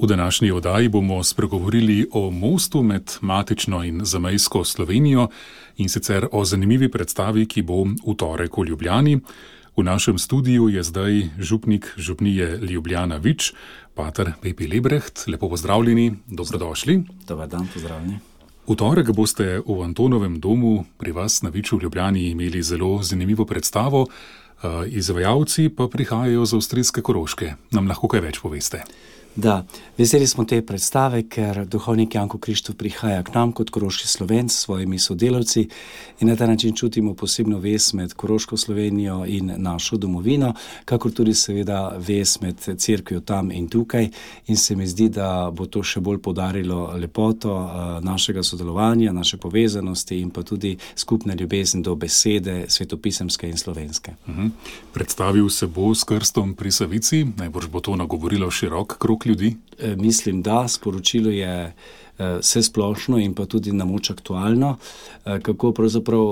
V današnji oddaji bomo spregovorili o mostu med matično in zamejsko Slovenijo in sicer o zanimivi predstavi, ki bo v torek v Ljubljani. V našem studiu je zdaj župnik župnije Ljubljana Vič, pater Pepi Lebreht. Lepo pozdravljeni, dobrodošli. Dobar dan, pozdravljeni. V torek boste v Antonovem domu pri vas na Viču v Ljubljani imeli zelo zanimivo predstavo. Izvajalci pa prihajajo z avstrijske Koroške. Nam lahko kaj več poveste? Da, veseli smo te predstave, ker duhovnik Janko Krištof prihaja k nam kot koroški Slovenc s svojimi sodelavci in na ta način čutimo posebno vez med koroško Slovenijo in našo domovino, kakor tudi seveda vez med cerkvijo tam in tukaj, in se mi zdi, da bo to še bolj poudarilo lepoto našega sodelovanja, naše povezanosti in pa tudi skupne ljubezni do besede svetopisemske in slovenske. Predstavil se bo s krstom pri Savici, najbrž bo to nagovorilo širok krog ljudi? Mislim, da sporočilo je vsesplošno in pa tudi na moč aktualno, kako pravzaprav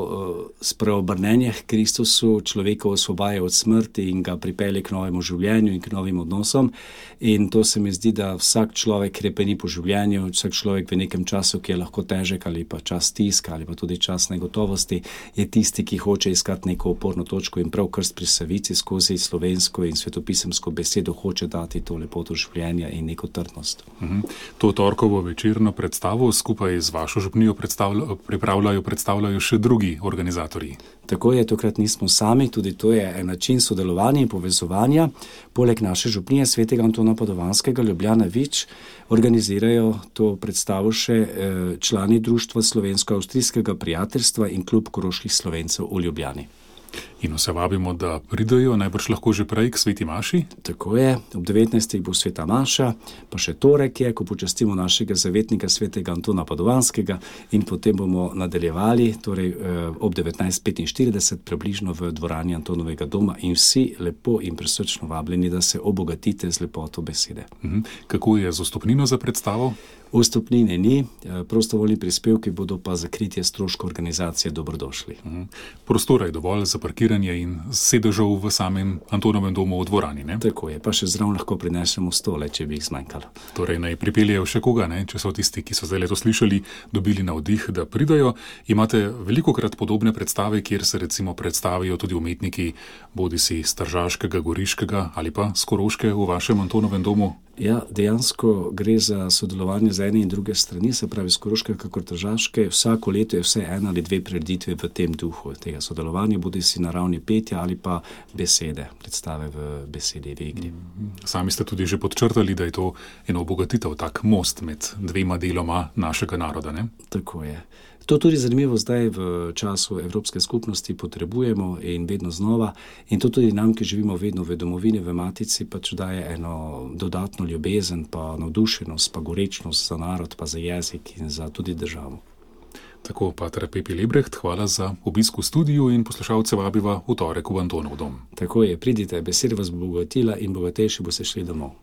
spreobrnenje k Kristusu človeka osvobaja od smrti in ga pripelje k novemu življenju in k novim odnosom. In to se mi zdi, da vsak človek krepeni po življenju, vsak človek v nekem času, ki je lahko težek ali pa čas stiska ali pa tudi čas negotovosti, je tisti, ki hoče iskati neko oporno točko in prav krst pri Savici skozi slovensko in svetopisemsko besedo hoče dati to lepoto življenja in neko trdnost. To torkovo večerno predstavo skupaj z vašo župnijo predstavljajo še drugi organizatorji. Tako je, tokrat nismo sami, tudi to je en način sodelovanja in povezovanja. Poleg naše župnije svetega Antona Padovanskega Ljubljana Vič organizirajo to predstavo še člani Društva slovensko-avstrijskega prijateljstva in klub koroških Slovencev v Ljubljani. In vse vabimo, da pridejo, najbrž lahko že prej k sveti maši? Tako je, ob 19. bo sveta maša, pa še torek je, ko počastimo našega zavetnika svetega Antona Padovanskega in potem bomo nadaljevali, torej ob 19:45 približno v dvorani Antonovega doma in vsi lepo in prisrčno vabljeni, da se obogatite z lepoto besede. Kako je z vstopnino za predstavo? Vstopnine ni, prostovoljni prispevki bodo pa za kritje stroškov organizacije dobrodošli. Prostora je dovolj za parkiranje in sedežev v samem Antonovem domu v dvorani, ne? Tako je, pa še zraven lahko prinesemo stole, če bi jih zmanjkalo. Torej naj pripeljejo še koga, ne? Če so tisti, ki so zdaj to slišali, dobili navdih, da pridajo. Imate velikokrat podobne predstave, kjer se recimo predstavijo tudi umetniki, bodisi s Tržaškega, Goriškega ali pa s Koroške v vašem Antonovem domu? Ja, dejansko gre za sodelovanje z ene in druge strani, se pravi z Koroške kakor Tržaške. Vsako leto je vse ena ali dve prireditve v tem duhu tega sodelovanja, bodisi na ravni petja ali pa besede, predstave v besedi, v igri. Sami ste tudi že podčrtali, da je to eno obogatitev, tak most med dvema deloma našega naroda, ne? Tako je. To tudi zanimivo zdaj v času Evropske skupnosti potrebujemo in vedno znova. In to tudi nam, ki živimo vedno v domovini, v matici, pač daje eno dodatno ljubezen, pa navdušenost, pa gorečnost za narod, pa za jezik in za tudi državo. Tako, pater Pepi Lebreht, hvala za obisk v studiu in poslušalce vabiva v torek v Antonov dom. Tako je, pridite, beseda vas bo bogatila in bogatejši boste šli domov.